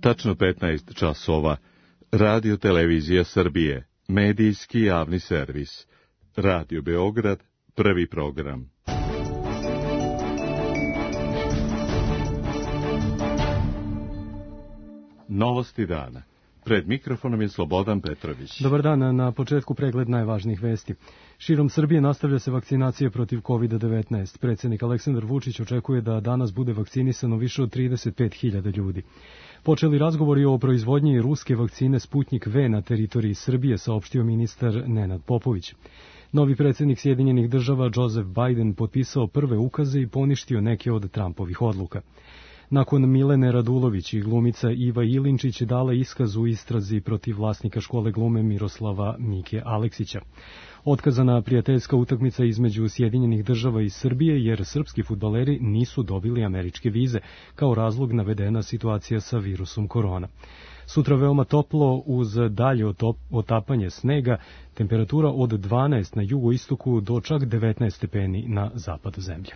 Tačno 15 časova. Radio Televizija Srbije. Medijski javni servis. Radio Beograd. Prvi program. Novosti dana. Pred mikrofonom je Slobodan Petrović. Dobar dan, na početku pregled najvažnijih vesti. Širom Srbije nastavlja se vakcinacija protiv COVID-19. Predsjednik Aleksandar Vučić očekuje da danas bude vakcinisano više od 35.000 ljudi. Počeli razgovori o proizvodnji ruske vakcine Sputnik V na teritoriji Srbije, saopštio ministar Nenad Popović. Novi predsjednik Sjedinjenih država Joseph Biden potpisao prve ukaze i poništio neke od Trumpovih odluka. Nakon Milene Radulović i glumica Iva Ilinčić dala iskaz u istrazi protiv vlasnika škole glume Miroslava Mike Aleksića. Otkazana prijateljska utakmica između Sjedinjenih država i Srbije jer srpski fudbaleri nisu dobili američke vize, kao razlog navedena situacija sa virusom korona. Sutra veoma toplo uz dalje otapanje snega, temperatura od 12 na jugoistoku do čak 19 stepeni na zapadu zemlje.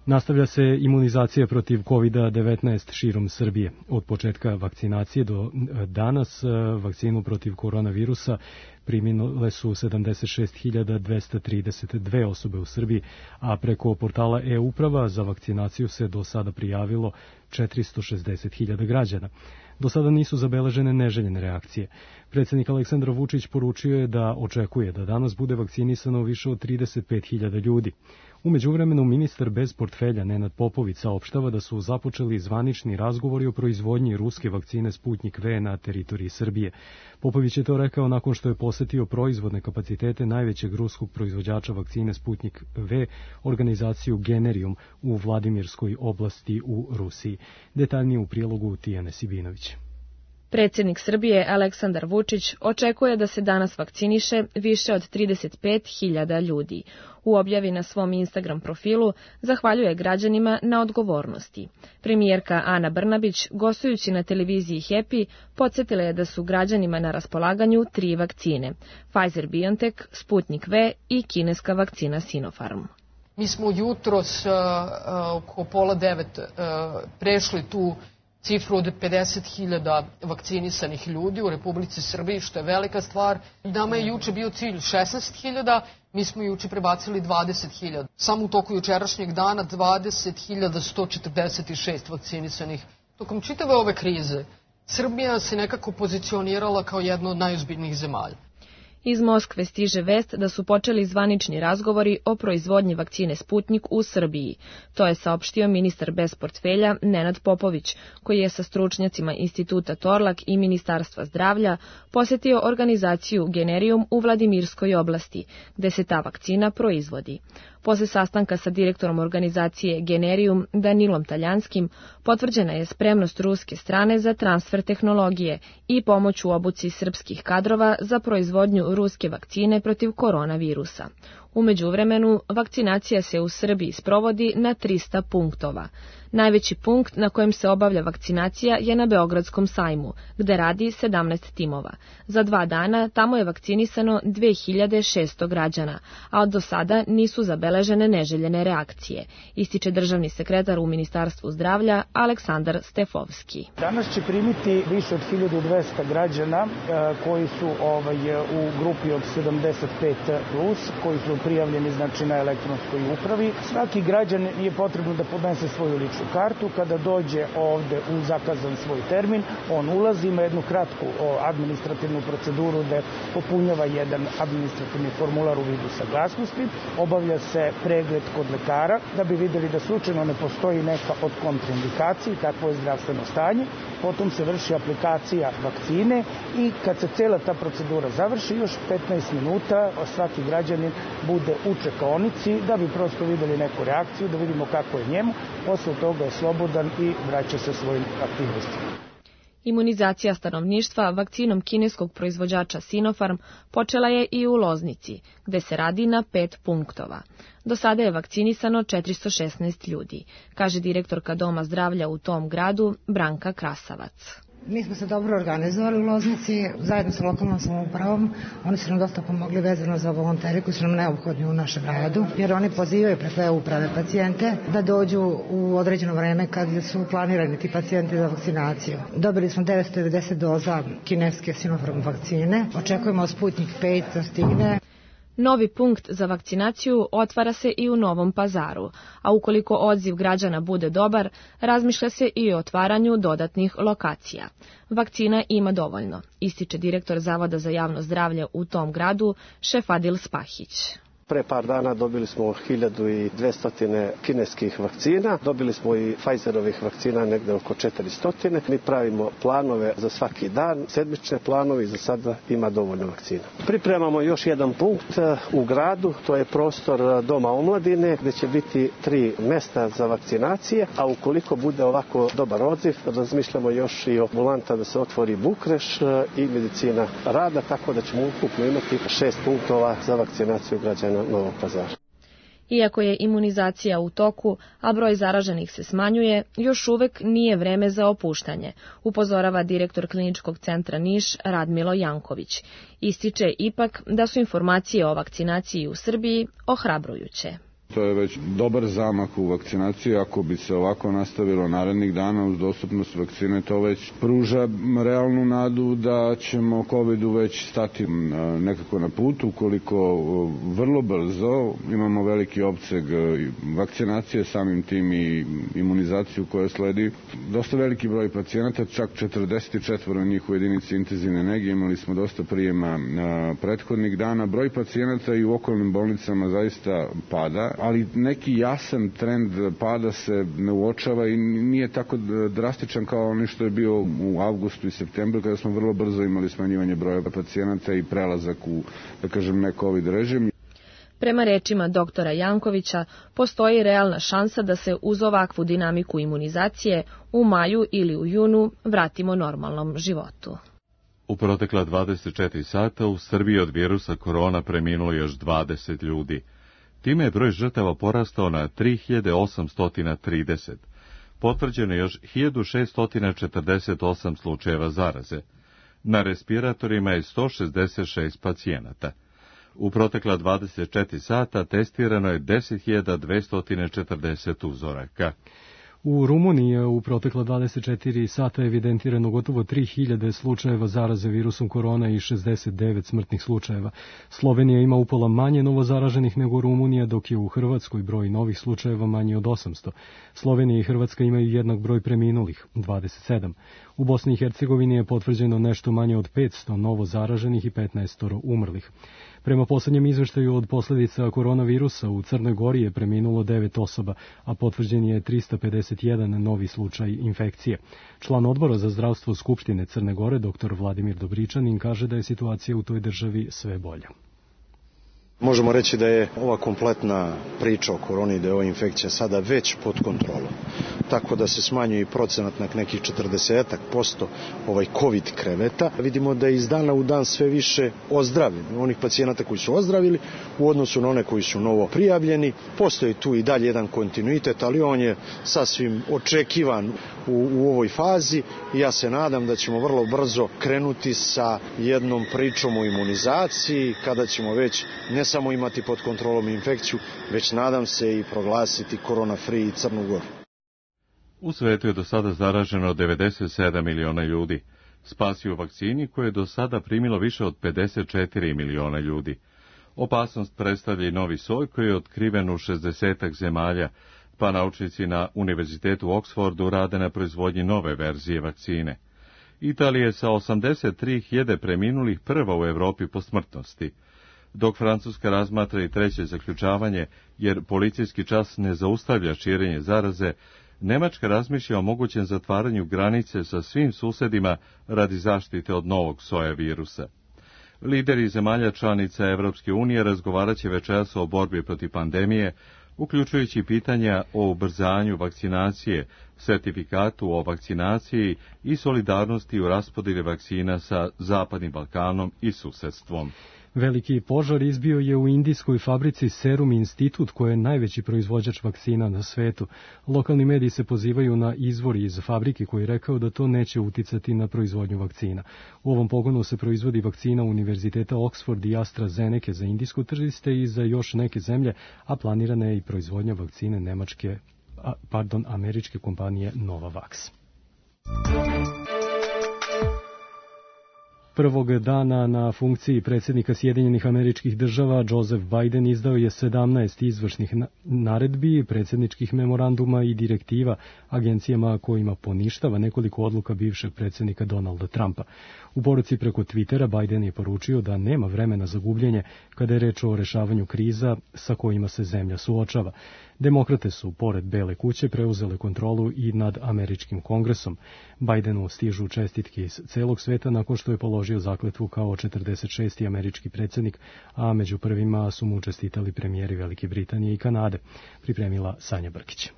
Nastavlja se imunizacija protiv COVID-19 širom Srbije. Od početka vakcinacije do danas vakcinu protiv koronavirusa primile su 76.232 osobe u Srbiji, a preko portala e-uprava za vakcinaciju se do sada prijavilo 460.000 građana. Do sada nisu zabeležene neželjene reakcije. Predsjednik Aleksandar Vučić poručio je da očekuje da danas bude vakcinisano više od 35.000 ljudi. U međuvremenu ministar bez portfelja Nenad Popović saopštava da su započeli zvanični razgovori o proizvodnji ruske vakcine Sputnik V na teritoriji Srbije. Popović je to rekao nakon što je posetio proizvodne kapacitete najvećeg ruskog proizvođača vakcine Sputnik V, organizaciju Generium u Vladimirskoj oblasti u Rusiji. Detaljnije u prilogu Tijane Sibinović. Predsjednik Srbije Aleksandar Vučić očekuje da se danas vakciniše više od 35.000 ljudi. U objavi na svom Instagram profilu zahvaljuje građanima na odgovornosti. Premijerka Ana Brnabić, gostujući na televiziji Happy, podsjetila je da su građanima na raspolaganju 3 vakcine: Pfizer-BioNTech, Sputnik V i kineska vakcina Sinopharm. Mi smo jutros oko 8:30 prešli tu cifru od 50.000 vakcinisanih ljudi u Republici Srbiji, što je velika stvar. Nama je juče bio cilj 16.000, mi smo juče prebacili 20.000. Samo u toku jučerašnjeg dana 20.146 vakcinisanih. Tokom čitave ove krize, Srbija se nekako pozicionirala kao jedna od najozbiljnijih zemalja. Iz Moskve stiže vest da su počeli zvanični razgovori o proizvodnji vakcine Sputnik u Srbiji. To je saopštio ministar bez portfelja Nenad Popović, koji je sa stručnjacima Instituta Torlak i Ministarstva zdravlja posjetio organizaciju Generium u Vladimirskoj oblasti, gde se ta vakcina proizvodi. Posle sastanka sa direktorom organizacije Generium Danilom Taljanskim potvrđena je spremnost ruske strane za transfer tehnologije i pomoć u obuci srpskih kadrova za proizvodnju ruske vakcine protiv koronavirusa. U međuvremenu, vakcinacija se u Srbiji sprovodi na 300 punktova. Najveći punkt na kojem se obavlja vakcinacija je na Beogradskom sajmu, gde radi 17 timova. Za 2 dana tamo je vakcinisano 2600 građana, a do sada nisu zabeležene neželjene reakcije, ističe državni sekretar u Ministarstvu zdravlja Aleksandar Stefovski. Danas će primiti više od 1200 građana koji su u grupi od 75+, koji su prijavljeni na elektronskoj upravi. Svaki građan je potrebno da podnese svoju ličnu kartu. Kada dođe ovde u zakazan svoj termin, on ulazi, ima jednu kratku administrativnu proceduru da popunjava jedan administrativni formular u vidu saglasnosti, obavlja se pregled kod lekara da bi videli da slučajno ne postoji neka od kontraindikacija, kakvo je zdravstveno stanje. Potom se vrši aplikacija vakcine i kad se cela ta procedura završi, još 15 minuta svaki građanin bude u čekaonici da bi prosto videli neku reakciju, da vidimo kako je njemu. Posle toga je slobodan i vraća se svojim aktivnostima. Imunizacija stanovništva vakcinom kineskog proizvođača Sinopharm počela je i u Loznici, gde se radi na 5 punktova. Do sada je vakcinisano 416 ljudi, kaže direktorka Doma zdravlja u tom gradu Branka Krasavac. Mi smo se dobro organizovali u Loznici, zajedno sa lokalnom samoupravom. Oni su nam dosta pomogli vezano za volonteri koji su nam neophodni u našem radu, jer oni pozivaju preko e-uprave pacijente da dođu u određeno vreme kad su planirani ti pacijenti za vakcinaciju. Dobili smo 990 doza kineske Sinopharm vakcine. Očekujemo Sputnik 5 da stigne. Novi punkt za vakcinaciju otvara se i u Novom Pazaru, a ukoliko odziv građana bude dobar, razmišlja se i o otvaranju dodatnih lokacija. Vakcina ima dovoljno, ističe direktor Zavoda za javno zdravlje u tom gradu, Šefadil Spahić. Pre par dana dobili smo 1200 kineskih vakcina, dobili smo i Pfizerovih vakcina negde oko 400. Mi pravimo planove za svaki dan, sedmične planove i za sada ima dovoljno vakcina. Pripremamo još jedan punkt u gradu, to je prostor Doma omladine gde će biti 3 mesta za vakcinacije, a ukoliko bude ovako dobar odziv, razmišljamo još i o ambulanta da se otvori Bukreš i medicina rada, tako da ćemo ukupno imati 6 punktova za vakcinaciju građana Novog Pazara. Iako je imunizacija u toku, a broj zaraženih se smanjuje, još uvek nije vreme za opuštanje, upozorava direktor Kliničkog centra Niš Radmilo Janković. Ističe ipak da su informacije o vakcinaciji u Srbiji ohrabrujuće. To je već dobar zamak u vakcinaciji. Ako bi se ovako nastavilo narednih dana uz dostupnost vakcine, to već pruža realnu nadu da ćemo COVID-u već stati nekako na put. Ukoliko vrlo brzo imamo veliki opseg vakcinacije, samim tim i imunizaciju koja sledi. Dosta veliki broj pacijenata, čak 44 njih u jedinici intenzivne nege. Imali smo dosta prijema prethodnih dana. Broj pacijenata i u okolnim bolnicama zaista pada, ali neki jasan trend pada se ne uočava i nije tako drastičan kao ono što je bio u avgustu i septembru, kada smo vrlo brzo imali smanjivanje broja pacijenata i prelazak u, da kažem, ne COVID režim. Prema rečima doktora Jankovića, postoji realna šansa da se uz ovakvu dinamiku imunizacije u maju ili u junu vratimo normalnom životu. U protekla 24 sata u Srbiji od virusa korona preminulo još 20 ljudi. Time je broj žrtava porastao na 3830. Potvrđeno je još 1648 slučajeva zaraze. Na respiratorima je 166 pacijenata. U protekla 24 sata testirano je 10.240 uzoraka. U Rumuniji je u protekla 24 sata evidentirano gotovo 3000 slučajeva zaraze virusom korona i 69 smrtnih slučajeva. Slovenija ima upola manje novozaraženih nego Rumunija, dok je u Hrvatskoj broj novih slučajeva manji od 800. Slovenija i Hrvatska imaju jednak broj preminulih, 27. U Bosni i Hercegovini je potvrđeno nešto manje od 500 novozaraženih i 15 umrlih. Prema poslednjem izveštaju od posledica koronavirusa u Crnoj Gori je preminulo 9 osoba, a potvrđen je 351 novi slučaj infekcije. Član odbora za zdravstvo Skupštine Crne Gore, dr. Vladimir Dobričanin, kaže da je situacija u toj državi sve bolja. Možemo reći da je ova kompletna priča o koroni, da je ova infekcija sada već pod kontrolom. Tako da se smanjuje i procenat na nekih 40% COVID kreveta. Vidimo da je iz dana u dan sve više ozdravljenih. Onih pacijenata koji su ozdravili u odnosu na one koji su novo prijavljeni. Postoji tu i dalje jedan kontinuitet, ali on je sasvim očekivan u ovoj fazi i ja se nadam da ćemo vrlo brzo krenuti sa jednom pričom o imunizaciji, kada ćemo već ne samo imati pod kontrolom infekciju, već nadam se i proglasiti korona-free Crnu Goru. U svetu je do sada zaraženo 97 miliona ljudi. Spasi u vakcini koje je do sada primilo više od 54 miliona ljudi. Opasnost predstavlja i novi soj koji je otkriven u 60 zemalja, pa naučnici na Univerzitetu u Oksfordu rade na proizvodnji nove verzije vakcine. Italija je sa 83.000 preminulih prva u Evropi po smrtnosti, dok Francuska razmatra i treće zaključavanje, jer policijski čas ne zaustavlja širenje zaraze, Nemačka razmišlja o mogućem zatvaranju granice sa svim susedima radi zaštite od novog soja virusa. Lideri zemalja članica Evropske unije razgovaraće večeras o borbi protiv pandemije, uključujući pitanja o ubrzanju vakcinacije, sertifikatu o vakcinaciji i solidarnosti u raspodjeli vakcina sa Zapadnim Balkanom i susedstvom. Veliki požar izbio je u indijskoj fabrici Serum Institute, koja je najveći proizvođač vakcina na svetu. Lokalni mediji se pozivaju na izvor iz fabrike koji je rekao da to neće uticati na proizvodnju vakcina. U ovom pogonu se proizvodi vakcina Univerziteta Oxford i AstraZeneca za indijsko tržište i za još neke zemlje, a planirana je i proizvodnja vakcine američke kompanije Novavax. Prvog dana na funkciji predsjednika Sjedinjenih Američkih Država Joseph Biden izdao je 17 izvršnih naredbi, predsjedničkih memoranduma i direktiva agencijama kojima poništava nekoliko odluka bivšeg predsjednika Donalda Trumpa. U poruci preko Twittera Biden je poručio da nema vremena za gubljenje kada je reč o rešavanju kriza sa kojima se zemlja suočava. Demokrate su, pored Bele kuće, preuzele kontrolu i nad američkim kongresom. Bidenu stižu čestitke iz celog sveta nakon što je položio zakletvu kao 46. američki predsjednik, a među prvima su mu čestitali premijeri Velike Britanije i Kanade. Pripremila Sanja Brkić.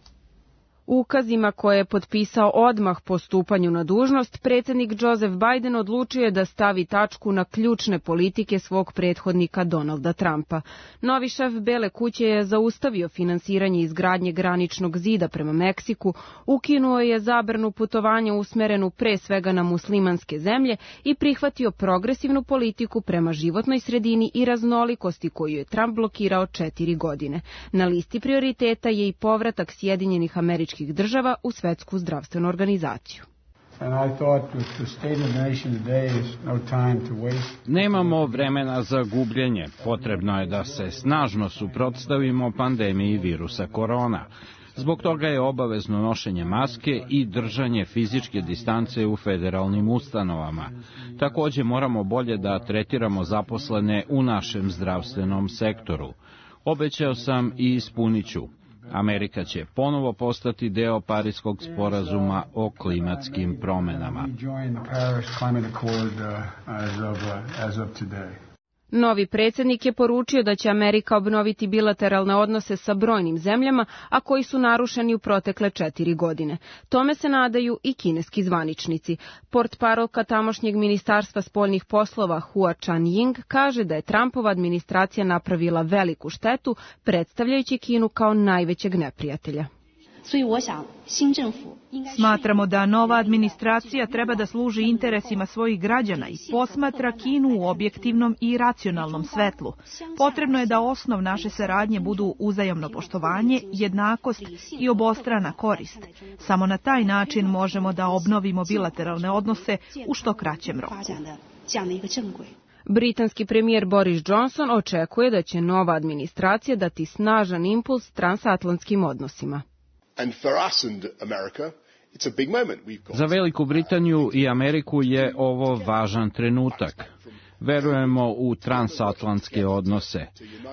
Ukazima koje je potpisao odmah po stupanju na dužnost, predsjednik Joseph Biden odlučio je da stavi tačku na ključne politike svog prethodnika Donalda Trumpa. Novi šef Bele kuće je zaustavio finansiranje izgradnje graničnog zida prema Meksiku, ukinuo je zabranu putovanja usmerenu pre svega na muslimanske zemlje i prihvatio progresivnu politiku prema životnoj sredini i raznolikosti koju je Trump blokirao 4 godine. Na listi prioriteta je i povratak Sjedinjenih Američkih Država u Svetsku zdravstvenu organizaciju. Nemamo vremena za gubljenje. Potrebno je da se snažno suprotstavimo pandemiji virusa korona. Zbog toga je obavezno nošenje maske i držanje fizičke distance u federalnim ustanovama. Takođe moramo bolje da tretiramo zaposlene u našem zdravstvenom sektoru. Obećao sam i ispunit ću. Amerika će ponovo postati deo Pariskog sporazuma o klimatskim promenama. Novi predsjednik je poručio da će Amerika obnoviti bilateralne odnose sa brojnim zemljama, a koji su narušeni u protekle 4 godine. Tome se nadaju i kineski zvaničnici. Portparolka tamošnjeg ministarstva spoljnih poslova Hua Chunying kaže da je Trumpova administracija napravila veliku štetu, predstavljajući Kinu kao najvećeg neprijatelja. Smatramo da nova administracija treba da služi interesima svojih građana i posmatra Kinu u objektivnom i racionalnom svetlu. Potrebno je da osnov naše saradnje budu uzajamno poštovanje, jednakost i obostrana korist. Samo na taj način možemo da obnovimo bilateralne odnose u što kraćem roku. Britanski premijer Boris Johnson očekuje da će nova administracija dati snažan impuls transatlantskim odnosima. Za Veliku Britaniju i Ameriku je ovo važan trenutak. Verujemo u transatlantske odnose.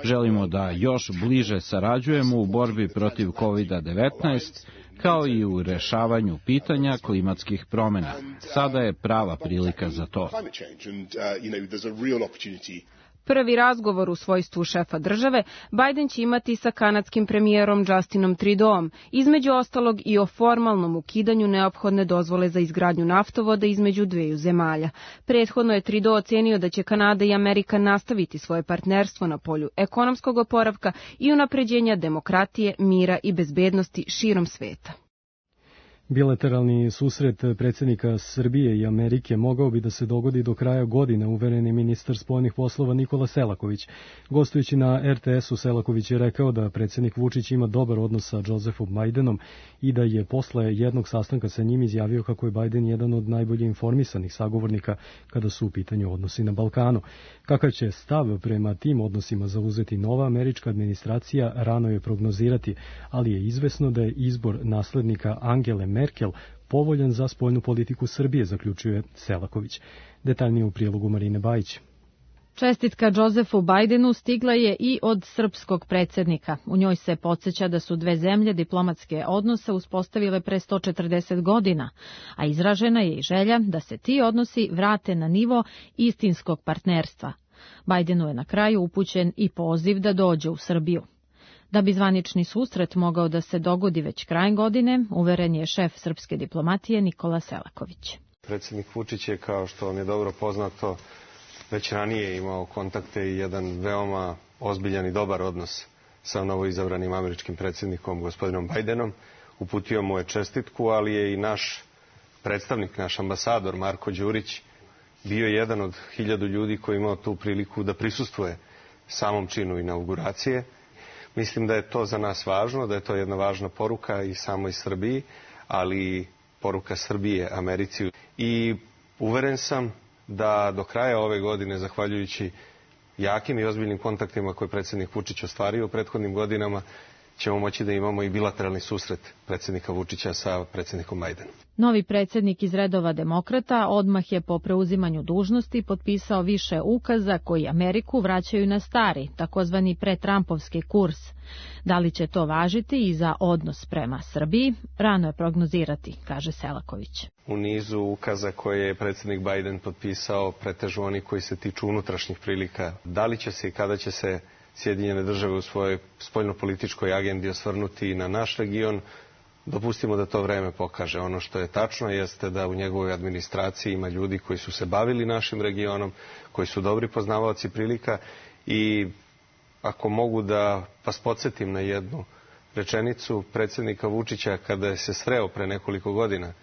Želimo da još bliže sarađujemo u borbi protiv COVID-19, kao i u rešavanju pitanja klimatskih promjena. Sada je prava prilika za to. Prvi razgovor u svojstvu šefa države Biden će imati sa kanadskim premijerom Justinom Trudeauom, između ostalog i o formalnom ukidanju neophodne dozvole za izgradnju naftovoda između dveju zemalja. Prethodno je Trudeau ocenio da će Kanada i Amerika nastaviti svoje partnerstvo na polju ekonomskog oporavka i unapređenja demokratije, mira i bezbednosti širom sveta. Bilateralni susret predsjednika Srbije i Amerike mogao bi da se dogodi do kraja godine, uvereni ministar spoljnih poslova Nikola Selaković. Gostujući na RTS-u, Selaković je rekao da predsjednik Vučić ima dobar odnos sa Josephom Bidenom i da je posle jednog sastanka sa njim izjavio kako je Biden jedan od najbolje informisanih sagovornika kada su u pitanju odnosi na Balkanu. Kakav će stav prema tim odnosima zauzeti nova američka administracija, rano je prognozirati, ali je izvesno da je izbor naslednika Angele Merkel povoljan za spoljnu politiku Srbije, zaključuje Selaković. Detaljnije u prilogu Marine Bajić. Čestitka Josephu Bidenu stigla je i od srpskog predsjednika. U njoj se podsjeća da su dve zemlje diplomatske odnose uspostavile pre 140 godina, a izražena je i želja da se ti odnosi vrate na nivo istinskog partnerstva. Bidenu je na kraju upućen i poziv da dođe u Srbiju. Da bi zvanični susret mogao da se dogodi već krajem godine, uveren je šef srpske diplomatije Nikola Selaković. Predsjednik Vučić je, kao što vam je dobro poznato, već ranije imao kontakte i jedan veoma ozbiljan i dobar odnos sa novoizabranim američkim predsjednikom gospodinom Bajdenom. Uputio mu je čestitku, ali je i naš predstavnik, naš ambasador Marko Đurić bio jedan od 1000 ljudi koji imao tu priliku da prisustvuje samom činu inauguracije. Mislim da je to za nas važno, da je to jedna važna poruka i samoj Srbiji, ali i poruka Srbije Americi. I uveren sam da do kraja ove godine, zahvaljujući jakim i ozbiljnim kontaktima koje predsjednik Vučić ostvario u prethodnim godinama, ćemo moći da imamo i bilateralni susret predsjednika Vučića sa predsjednikom Bajdenom. Novi predsjednik iz redova demokrata odmah je po preuzimanju dužnosti potpisao više ukaza koji Ameriku vraćaju na stari, takozvani pretrampovski kurs. Da li će to važiti i za odnos prema Srbiji, rano je prognozirati, kaže Selaković. U nizu ukaza koje je predsjednik Bajden potpisao pretežu oni koji se tiču unutrašnjih prilika. Da li će se i kada će se Sjedinjene države u svojoj spoljnopolitičkoj agendi osvrnuti na naš region, dopustimo da to vreme pokaže. Ono što je tačno jeste da u njegovoj administraciji ima ljudi koji su se bavili našim regionom, koji su dobri poznavaoci prilika i ako mogu da vas podsjetim na jednu rečenicu predsjednika Vučića kada je se sreo pre nekoliko godina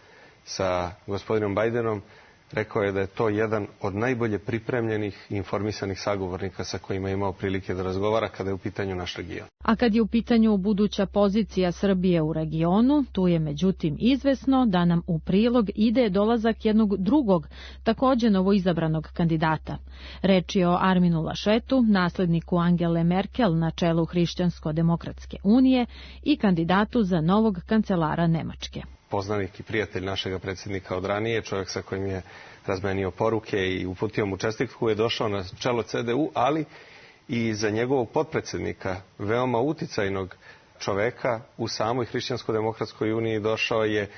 sa gospodinom Bajdenom, rekao je da je to jedan od najbolje pripremljenih i informisanih sagovornika sa kojima je imao prilike da razgovara kada je u pitanju naš region. A kad je u pitanju buduća pozicija Srbije u regionu, tu je međutim izvesno da nam u prilog ide dolazak jednog drugog, također novoizabranog kandidata. Reč je o Arminu Lašetu, nasledniku Angele Merkel na čelu Hrišćansko-demokratske unije i kandidatu za novog kancelara Nemačke. Poznanik i prijatelj našega predsjednika od ranije, čovjek sa kojim je razmenio poruke i uputio mu čestitku, je došao na čelo CDU, ali i za njegovog potpredsjednika, veoma uticajnog čoveka u samoj Hrišćansko-demokratskoj uniji došao je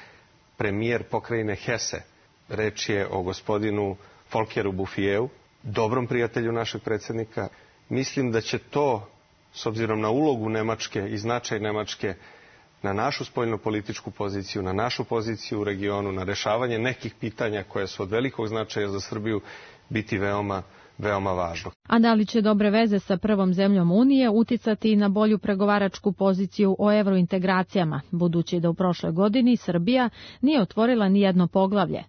premijer pokrajine Hesse. Reč je o gospodinu Folkeru Bufijeu, dobrom prijatelju našeg predsjednika. Mislim da će to, s obzirom na ulogu Nemačke i značaj Nemačke, na našu spoljnopolitičku poziciju, na našu poziciju u regionu, na rešavanje nekih pitanja koje su od velikog značaja za Srbiju, biti veoma važno. A da li će dobre veze sa prvom zemljom Unije uticati i na bolju pregovaračku poziciju o evrointegracijama, budući da u prošloj godini Srbija nije otvorila ni jedno poglavlje?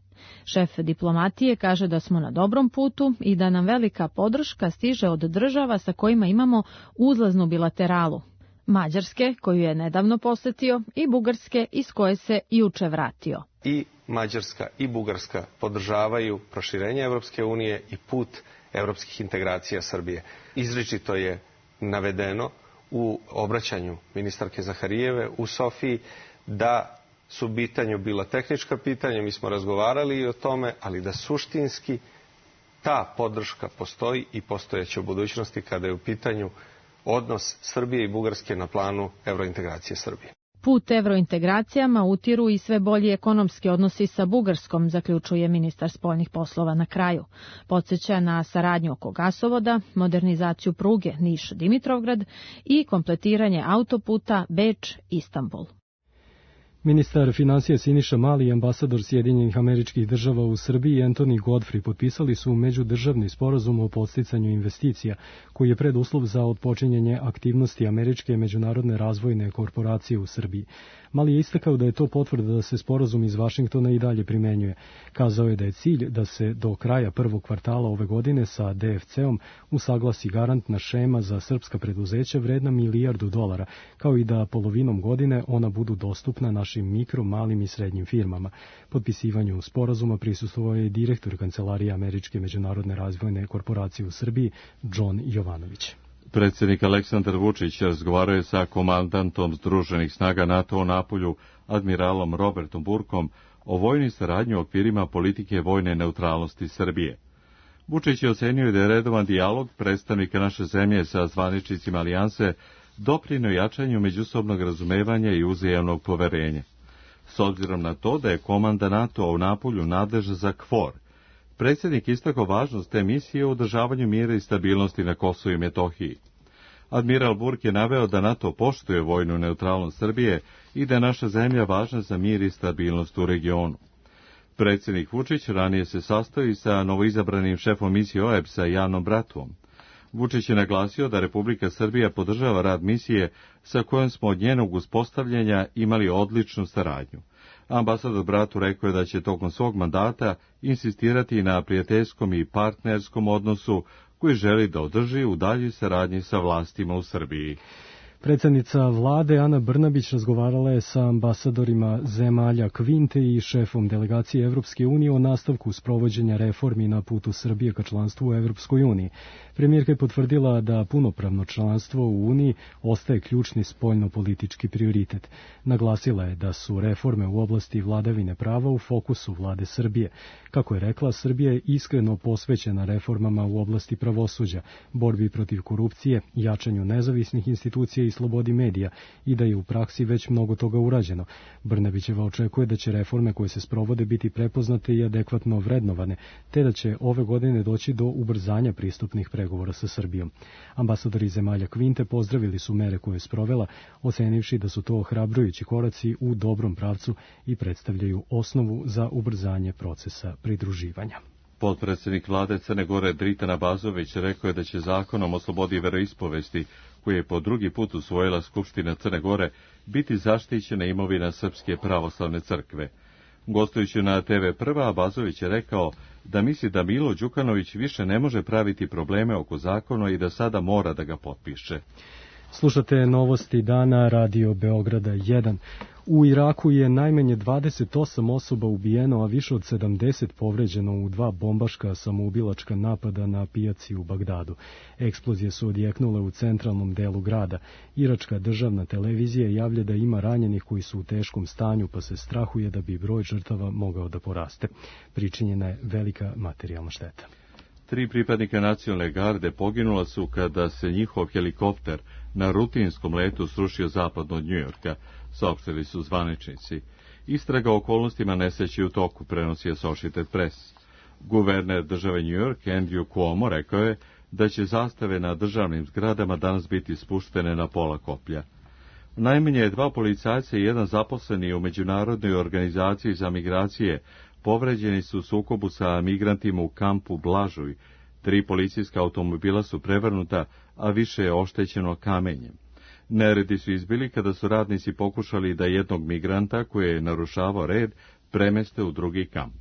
Šef diplomatije kaže da smo na dobrom putu i da nam velika podrška stiže od država sa kojima imamo uzlaznu bilateralu. Mađarske, koju je nedavno posetio, i Bugarske, iz koje se juče vratio. I Mađarska i Bugarska podržavaju proširenje Evropske unije i put evropskih integracija Srbije. Izričito je navedeno u obraćanju ministarke Zaharijeve u Sofiji da su u pitanju bila tehnička pitanja, mi smo razgovarali i o tome, ali da suštinski ta podrška postoji i postojeće u budućnosti kada je u pitanju odnos Srbije i Bugarske na planu evrointegracije Srbije. Put evrointegracijama utiru i sve bolji ekonomski odnosi sa Bugarskom, zaključuje ministar spoljnih poslova na kraju. Podsjeća na saradnju oko gasovoda, modernizaciju pruge Niš-Dimitrovgrad i kompletiranje autoputa Beč-Istanbul. Ministar financija Siniša Mali i ambasador Sjedinjenih Američkih Država u Srbiji Anthony Godfrey potpisali su međudržavni sporazum o podsticanju investicija, koji je preduslov za otpočinjanje aktivnosti Američke međunarodne razvojne korporacije u Srbiji. Mali je istakao da je to potvrda da se sporazum iz Vašingtona i dalje primenjuje. Kazao je da je cilj da se do kraja prvog kvartala ove godine sa DFC-om usaglasi garantna šema za srpska preduzeća vredna $1 milijardu, kao i da polovinom godine ona budu dostupna našim mikro, malim i srednjim firmama. Potpisivanju sporazuma prisustvovao je direktor Kancelarije Američke međunarodne razvojne korporacije u Srbiji, John Jovanović. Predsjednik Aleksandar Vučić razgovarao je sa komandantom Združenih snaga NATO u Napulju, admiralom Robertom Burkom, o vojnoj saradnji u okvirima politike vojne neutralnosti Srbije. Vučić je ocenio da je redovan dijalog predstavnika naše zemlje sa zvaničnicima alijanse doprineo jačanju međusobnog razumevanja i uzajamnog poverenja. S obzirom na to da je komanda NATO u Napulju nadležna za KFOR, predsjednik istakao važnost te misije u održavanju mira i stabilnosti na Kosovu i Metohiji. Admiral Burk je naveo da NATO poštuje vojnu neutralnost Srbije i da je naša zemlja važna za mir i stabilnost u regionu. Predsjednik Vučić ranije se sastoji sa novoizabranim šefom misije OEBS-a Janom Bratuom. Vučić je naglasio da Republika Srbija podržava rad misije sa kojom smo od njenog uspostavljanja imali odličnu saradnju. Ambasador Bratu rekao je da će tokom svog mandata insistirati na prijateljskom i partnerskom odnosu koji želi da održi u daljoj saradnji sa vlastima u Srbiji. Predsjednica vlade Ana Brnabić razgovarala je sa ambasadorima zemalja Kvinte i šefom delegacije Evropske unije o nastavku sprovođenja reformi na putu Srbije ka članstvu u Evropskoj uniji. Premijerka je potvrdila da punopravno članstvo u Uniji ostaje ključni spoljno-politički prioritet. Naglasila je da su reforme u oblasti vladavine prava u fokusu vlade Srbije. Kako je rekla, Srbija je iskreno posvećena reformama u oblasti pravosuđa, borbi protiv korupcije, jačanju nezavisnih institucija i slobodi medija i da je u praksi već mnogo toga urađeno. Brnabićeva očekuje da će reforme koje se sprovode biti prepoznate i adekvatno vrednovane, te da će ove godine doći do ubrzanja pristupnih pregovora sa Srbijom. Ambasadori zemalja Kvinte pozdravili su mere koje je sprovela, ocenivši da su to ohrabrujući koraci u dobrom pravcu i predstavljaju osnovu za ubrzanje procesa pridruživanja. Potpredsjednik vlade Crne Gore Dritan Abazović rekao je da će zakonom o slobodi veroispovesti, koji je po drugi put usvojila Skupština Crne Gore, biti zaštićena imovina Srpske pravoslavne crkve. Gostujući na TV Prva, Abazović je rekao da misli da Milo Đukanović više ne može praviti probleme oko zakona i da sada mora da ga potpiše. Slušate novosti dana Radio Beograda 1. U Iraku je najmanje 28 osoba ubijeno, a više od 70 povređeno u 2 bombaška samoubilačka napada na pijaci u Bagdadu. Eksplozije su odjeknule u centralnom delu grada. Iračka državna televizija javlja da ima ranjenih koji su u teškom stanju, pa se strahuje da bi broj žrtava mogao da poraste. Pričinjena je velika materijalna šteta. 3 pripadnika nacionalne garde poginula su kada se njihov helikopter na rutinskom letu srušio zapadno od Njujorka, saopštili su zvaničnici. Istraga o okolnostima nesreće u toku, prenosi Associated Press. Guverner države New York, Andrew Cuomo, rekao je da će zastave na državnim zgradama danas biti spuštene na pola koplja. Najmanje 2 policajca i 1 zaposleni u Međunarodnoj organizaciji za migracije povređeni su u sukobu sa migrantima u kampu Blažuj. 3 policijska automobila su prevrnuta, a više je oštećeno kamenjem. Neredi su izbili kada su radnici pokušali da jednog migranta, koji je narušavao red, premeste u drugi kamp.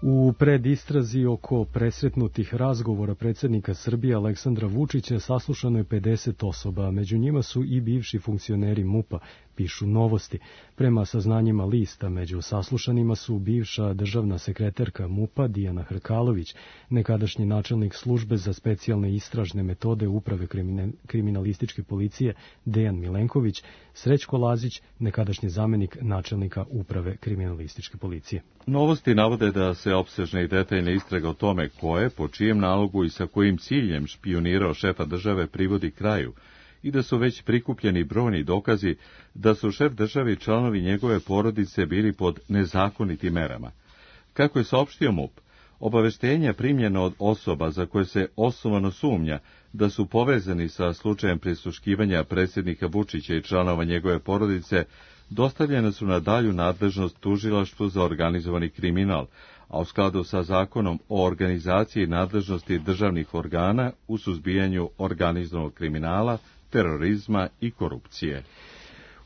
U predistrazi oko presretnutih razgovora predsjednika Srbije Aleksandra Vučića saslušano je 50 osoba, među njima su i bivši funkcioneri MUP-a, pišu Novosti. Prema saznanjima lista, među saslušanima su bivša državna sekretarka MUP-a Dijana Hrkalović, nekadašnji načelnik službe za specijalne istražne metode Uprave kriminalističke policije Dejan Milenković, Srećko Lazić, nekadašnji zamenik načelnika Uprave kriminalističke policije. Novosti navode da se opsežna i detaljna istraga o tome ko je, po čijem nalogu i sa kojim ciljem špijunirao šefa države privodi kraju i da su već prikupljeni brojni dokazi da su šef države i članovi njegove porodice bili pod nezakonitim merama. Kako je saopštio MUP, obaveštenja primljena od osoba za koje se osnovano sumnja da su povezani sa slučajem prisluškivanja predsjednika Vučića i članova njegove porodice dostavljene su na dalju nadležnost Tužilaštvu za organizovani kriminal, a u skladu sa zakonom o organizaciji i nadležnosti državnih organa u suzbijanju organizovanog kriminala, terorizma i korupcije.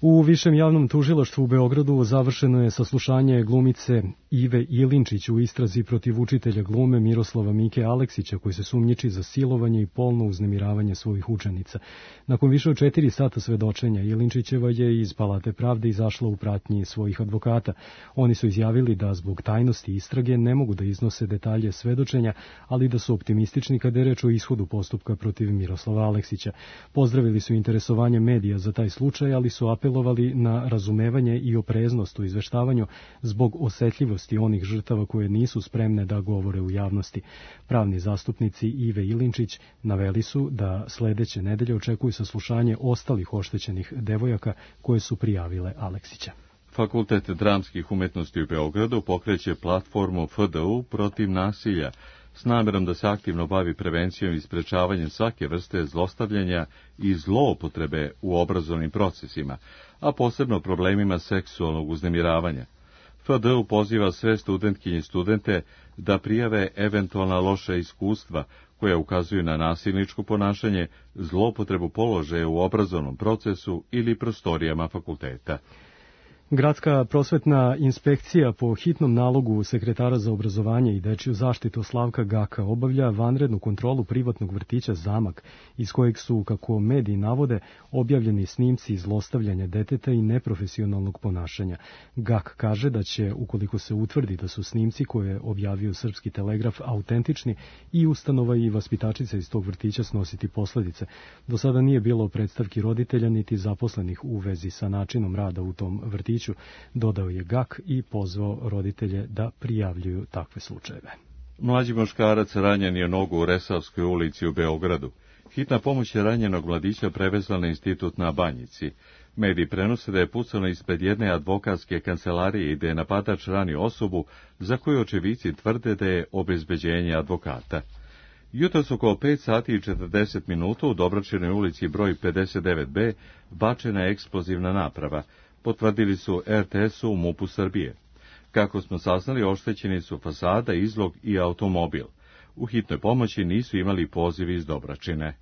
U Višem javnom tužilaštvu u Beogradu završeno je saslušanje glumice Ive Ilinčić u istrazi protiv učitelja glume Miroslava Mike Aleksića, koji se sumnjiči za silovanje i polno uznemiravanje svojih učenica. Nakon više od 4 sata svedočenja, Ilinčićeva je iz Palate pravde izašla u pratnji svojih advokata. Oni su izjavili da zbog tajnosti istrage ne mogu da iznose detalje svedočenja, ali da su optimistični kada je reč o ishodu postupka protiv Miroslava Aleksića. Pozdravili su interesovanje medija za taj slučaj, ali su apelovali na razumevanje i opreznost u izveštavanju zbog osetljivosti onih žrtava koje nisu spremne da govore u javnosti. Pravni zastupnici Ive Ilinčić naveli su da sledeće nedelje očekuju saslušanje ostalih oštećenih devojaka koje su prijavile Aleksića. Fakultet dramskih umetnosti u Beogradu pokreće platformu FDU protiv nasilja s namjerom da se aktivno bavi prevencijom i sprečavanjem svake vrste zlostavljanja i zloupotrebe u obrazovnim procesima, a posebno problemima seksualnog uznemiravanja. FDU poziva sve studentkinje i studente da prijave eventualna loša iskustva koja ukazuju na nasilničko ponašanje, zloupotrebu položaja u obrazovnom procesu ili prostorijama fakulteta. Gradska prosvetna inspekcija po hitnom nalogu sekretara za obrazovanje i dečiju zaštitu Slavka Gaka obavlja vanrednu kontrolu privatnog vrtića Zamak, iz kojeg su, kako mediji navode, objavljeni snimci zlostavljanja deteta i neprofesionalnog ponašanja. Gak kaže da će, ukoliko se utvrdi da su snimci koje je objavio Srpski telegraf autentični, i ustanova i vaspitačica iz tog vrtića snositi posledice. Do sada nije bilo predstavki roditelja niti zaposlenih u vezi sa načinom rada u tom vrtiću, dodao je Gak i pozvao roditelje da prijavljuju takve slučajeve. Mlađi muškarac ranjen je nogu u Resavskoj ulici u Beogradu. Hitna pomoć je ranjenog mladića prevezla na institut na Banjici. Mediji prenose da je pucano ispred jedne advokatske kancelarije i da je napadač ranio osobu za koju očevici tvrde da je obezbeđenje advokata. Jutros oko 5 sati i 40 minuta u Dobračinoj ulici broj 59B bačena je eksplozivna naprava, potvrdili su RTS-u u MUP-u Srbije. Kako smo saznali, oštećeni su fasada, izlog i automobil. U hitnoj pomoći nisu imali pozivi iz Dobračine.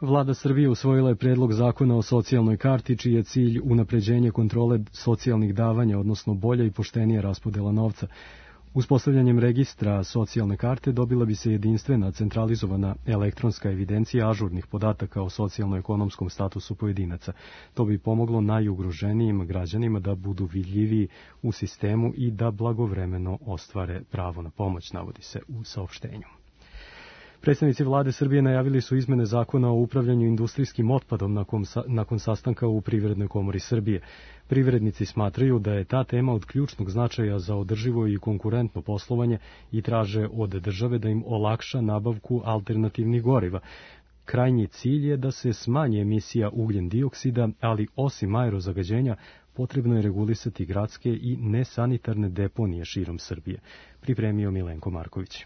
Vlada Srbije usvojila je predlog zakona o socijalnoj karti, čiji je cilj unapređenje kontrole socijalnih davanja, odnosno bolja i poštenija raspodela novca. Uspostavljanjem registra socijalne karte dobila bi se jedinstvena centralizovana elektronska evidencija ažurnih podataka o socijalno-ekonomskom statusu pojedinaca. To bi pomoglo najugroženijim građanima da budu vidljiviji u sistemu i da blagovremeno ostvare pravo na pomoć, navodi se u saopštenju. Predstavnici vlade Srbije najavili su izmene zakona o upravljanju industrijskim otpadom nakon sastanka u Privrednoj komori Srbije. Privrednici smatraju da je ta tema od ključnog značaja za održivo i konkurentno poslovanje i traže od države da im olakša nabavku alternativnih goriva. Krajnji cilj je da se smanji emisija ugljen dioksida, ali osim aerozagađenja potrebno je regulisati gradske i nesanitarne deponije širom Srbije. Pripremio Milenko Marković.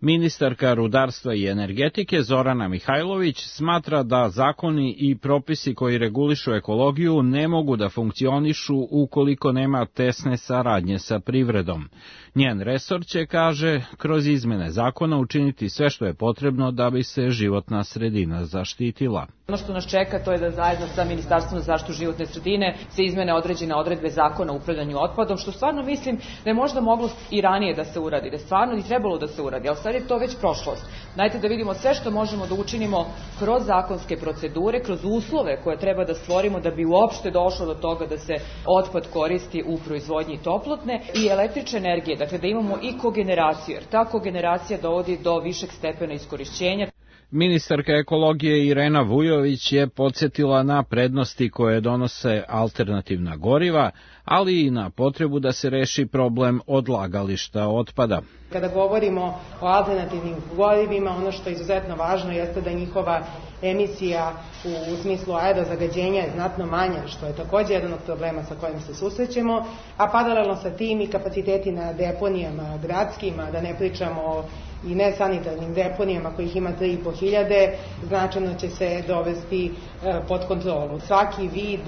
Ministarka rudarstva i energetike Zorana Mihajlović smatra da zakoni i propisi koji regulišu ekologiju ne mogu da funkcionišu ukoliko nema tesne saradnje sa privredom. Njen resor će, kaže, kroz izmene zakona učiniti sve što je potrebno da bi se životna sredina zaštitila. Ono što nas čeka to je da zajedno sa Ministarstvom za zaštitu životne sredine se izmene određene odredbe zakona o upravljanju otpadom, što stvarno mislim da je možda moglo i ranije da se uradi, da je stvarno i trebalo da se uradi, ali sad je to već prošlost. Dajte da vidimo sve što možemo da učinimo kroz zakonske procedure, kroz uslove koje treba da stvorimo da bi uopšte došlo do toga da se otpad koristi u proizvodnji toplotne i električne energije, dakle da imamo i kogeneraciju, jer ta kogeneracija dovodi do višeg stepena iskorišćenja. Ministarka ekologije Irena Vujović je podsjetila na prednosti koje donose alternativna goriva, ali i na potrebu da se reši problem odlagališta otpada. Kada govorimo o alternativnim gorivima, ono što je izuzetno važno jeste da njihova emisija u smislu aerozagađenja je znatno manja, što je također jedan od problema sa kojim se susrećemo, a paralelno sa tim i kapaciteti na deponijama gradskima, da ne pričamo i nesanitarnim deponijama kojih ima 3.500, značajno će se dovesti pod kontrolu. Svaki vid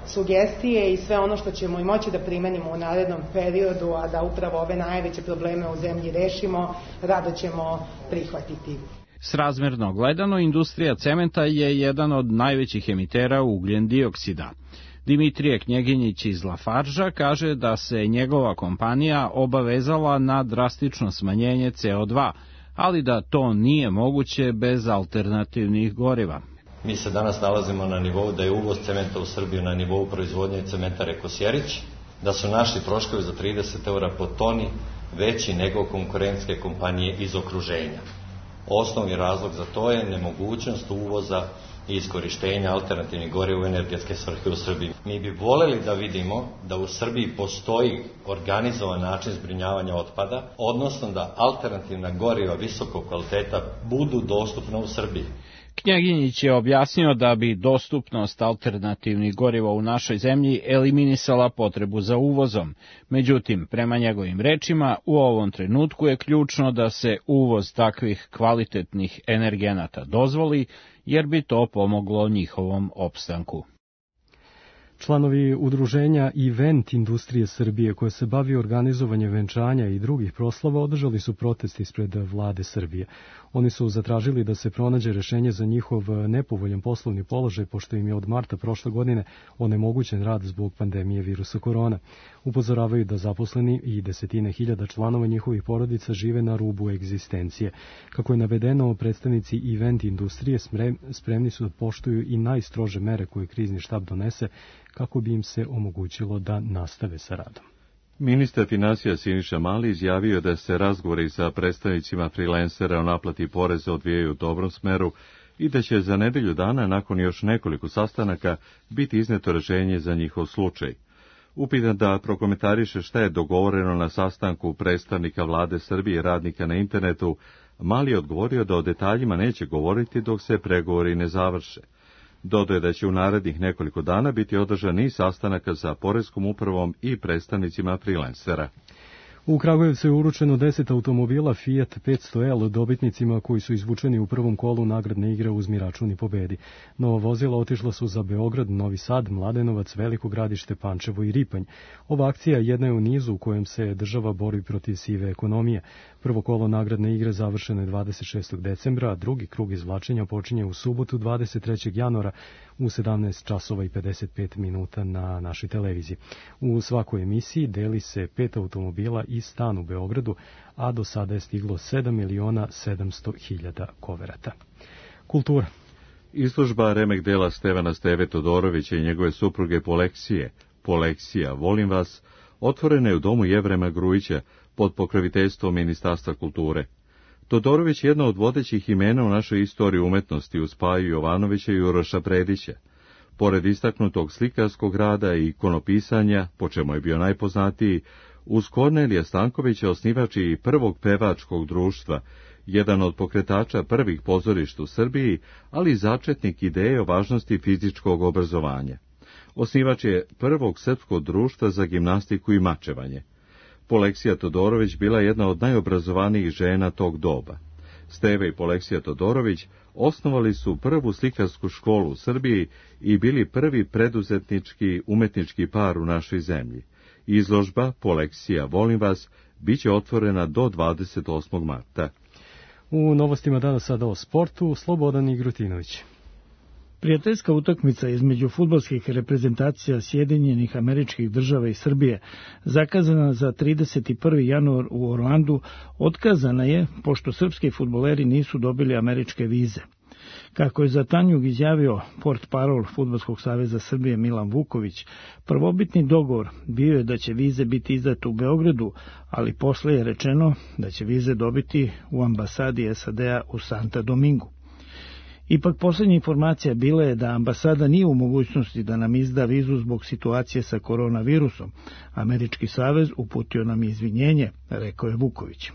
sugestije i sve ono što ćemo i moći da primenimo u narednom periodu, a da upravo ove najveće probleme u zemlji rešimo, rado ćemo prihvatiti. Srazmerno gledano, industrija cementa je jedan od najvećih emitera ugljen dioksida. Dimitrije Knjeginjić iz Lafarža kaže da se njegova kompanija obavezala na drastično smanjenje CO2, ali da to nije moguće bez alternativnih goriva. Mi se danas nalazimo na nivou da je uvoz cementa u Srbiju na nivou proizvodnje cementare Kosjerić, da su naši troškovi za 30 € po toni veći nego konkurentske kompanije iz okruženja. Osnovni razlog za to je nemogućnost uvoza i iskorištenja alternativnih goriva u energetske svrhe u Srbiji. Mi bi voljeli da vidimo da u Srbiji postoji organizovan način zbrinjavanja otpada, odnosno da alternativna goriva visokog kvaliteta budu dostupna u Srbiji. Knjaginjić je objasnio da bi dostupnost alternativnih goriva u našoj zemlji eliminisala potrebu za uvozom. Međutim, prema njegovim rečima, u ovom trenutku je ključno da se uvoz takvih kvalitetnih energenata dozvoli, jer bi to pomoglo njihovom opstanku. Članovi udruženja Event industrije Srbije, koje se bavi organizovanjem venčanja i drugih proslava, održali su protest ispred vlade Srbije. Oni su zatražili da se pronađe rešenje za njihov nepovoljan poslovni položaj, pošto im je od marta prošle godine onemogućen rad zbog pandemije virusa korona. Upozoravaju da zaposleni i desetine hiljada članova njihovih porodica žive na rubu egzistencije. Kako je navedeno, predstavnici Event industrije spremni su da poštuju i najstrože mere koje krizni štab donese, kako bi im se omogućilo da nastave sa radom. Ministar finansija Siniša Mali izjavio da se razgovori sa predstavnicima freelancera o naplati poreza odvijaju u dobrom smeru i da će za nedelju dana, nakon još nekoliko sastanaka, biti izneto rešenje za njihov slučaj. Upitan da prokomentariše šta je dogovoreno na sastanku predstavnika vlade Srbije i radnika na internetu, Mali je odgovorio da o detaljima neće govoriti dok se pregovori ne završe. Dodaje da će u narednih nekoliko dana biti održan niz sastanaka sa Poreskom upravom i predstavnicima freelancera. U Kragujevcu je uručeno 10 automobila Fiat 500L dobitnicima koji su izvučeni u prvom kolu nagradne igre Uzmi račun i pobedi. Nova vozila otišla su za Beograd, Novi Sad, Mladenovac, Veliko Gradište, Pančevo i Ripanj. Ova akcija jedna je u nizu u kojem se država bori protiv sive ekonomije. Prvo kolo nagradne igre završeno je 26. decembra, a drugi krug izvlačenja počinje u subotu 23. januara u 17 časova i 55 minuta na našoj televiziji. U svakoj emisiji deli se 5 automobila i stan u Beogradu, a do sada je stiglo 7.700.000 koverata. Kultura. Izložba remek dela Stevana Steve Todorovića i njegove supruge Poleksija, volim vas, otvorena je u domu Jevrema Grujića pod pokroviteljstvom Ministarstva kulture. Todorović je jedna od vodećih imena u našoj istoriji umetnosti uz Paju Jovanovića i Uroša Predića. Pored istaknutog slikarskog rada i ikonopisanja, po čemu je bio najpoznatiji, uz Kornelija Stankovića osnivač i prvog pevačkog društva, jedan od pokretača prvih pozorišta u Srbiji, ali i začetnik ideje o važnosti fizičkog obrazovanja. Osnivač je prvog srpskog društva za gimnastiku i mačevanje. Poleksija Todorović bila jedna od najobrazovanijih žena tog doba. Steve i Poleksija Todorović osnovali su prvu slikarsku školu u Srbiji i bili prvi preduzetnički umetnički par u našoj zemlji. Izložba Poleksija, volim vas, biće otvorena do 28. marta. U novostima danas sada o sportu, Slobodan Igrutinović. Prijateljska utakmica između fudbalskih reprezentacija Sjedinjenih Američkih Država i Srbije, zakazana za 31. januar u Orlandu, otkazana je pošto srpski fudbaleri nisu dobili američke vize. Kako je za Tanjug izjavio portparol Fudbalskog saveza Srbije Milan Vuković, prvobitni dogovor bio je da će vize biti izdate u Beogradu, ali posle je rečeno da će vize dobiti u ambasadi SAD-a u Santa Domingu. Ipak posljednja informacija bila je da ambasada nije u mogućnosti da nam izda vizu zbog situacije sa koronavirusom. Američki savez uputio nam izvinjenje, rekao je Vuković.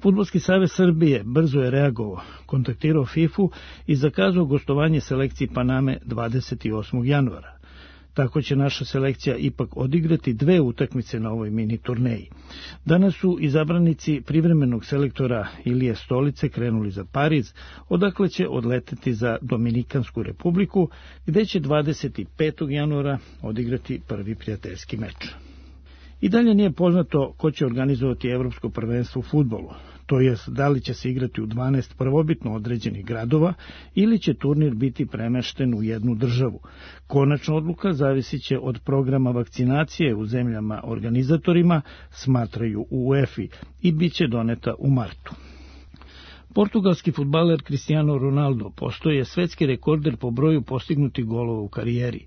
Fudbalski savez Srbije brzo je reagovao, kontaktirao FIFA i zakazao gostovanje selekciji Paname 28. januara. Tako će naša selekcija ipak odigrati 2 utakmice na ovoj mini turneji. Danas su izabranici privremenog selektora Ilije Stolice krenuli za Pariz, odakle će odleteti za Dominikansku republiku, gde će 25. januara odigrati prvi prijateljski meč. I dalje nije poznato ko će organizovati Evropsko prvenstvo u fudbalu, to jest da li će se igrati u 12 prvobitno određenih gradova ili će turnir biti premešten u jednu državu. Konačna odluka zavisit će od programa vakcinacije u zemljama organizatorima, smatraju u UEFA, i bit će doneta u martu. Portugalski fudbaler Cristiano Ronaldo postoje svetski rekorder po broju postignutih golova u karijeri.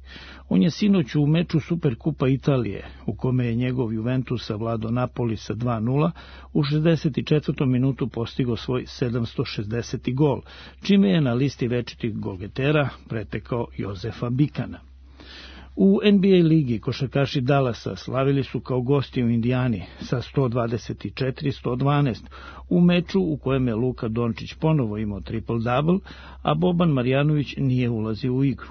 On je sinoć u meču Superkupa Italije, u kome je njegov Juventus savladao Napoli sa 2:0, u 64. minutu postigao svoj 760. gol, čime je na listi večitih golgetera pretekao Jozefa Bikana. U NBA ligi košarkaši Dallasa slavili su kao gosti u Indijani sa 124-112 u meču u kojem je Luka Dončić ponovo imao triple-double, a Boban Marjanović nije ulazio u igru.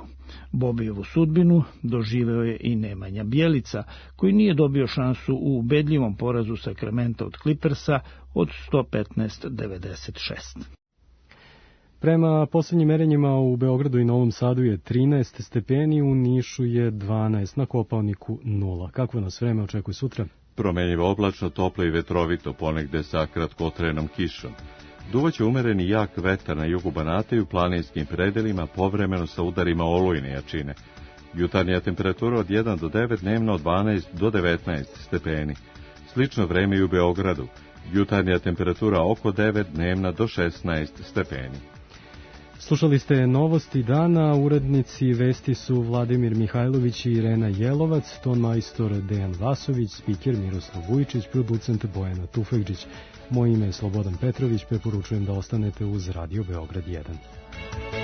Bobijevu sudbinu doživeo je i Nemanja Bjelica, koji nije dobio šansu u ubedljivom porazu Sakramenta od Clippersa od 115-96. Prema posljednjim merenjima u Beogradu i Novom Sadu je 13 stepeni, u Nišu je 12, na Kopaoniku 0. Kakvo nas vreme očekuje sutra? Promenjivo oblačno, toplo i vetrovito, ponegde sa kratkotrenom kišom. Duvaće umereni jak vetar na jugu Banata i u planinskim predelima, povremeno sa udarima olujne jačine. Jutarnja temperatura od 1 do 9, dnevno od 12 do 19 stepeni. Slično vreme i u Beogradu. Jutarnja temperatura oko 9, dnevna do 16 stepeni. Slušali ste novosti dana, urednici vesti su Vladimir Mihajlović i Irena Jelovac, ton majstor Dejan Vasović, spiker Miroslav Vujičić, producent Bojana Tufekđić. Moje ime je Slobodan Petrović, preporučujem da ostanete uz Radio Beograd 1.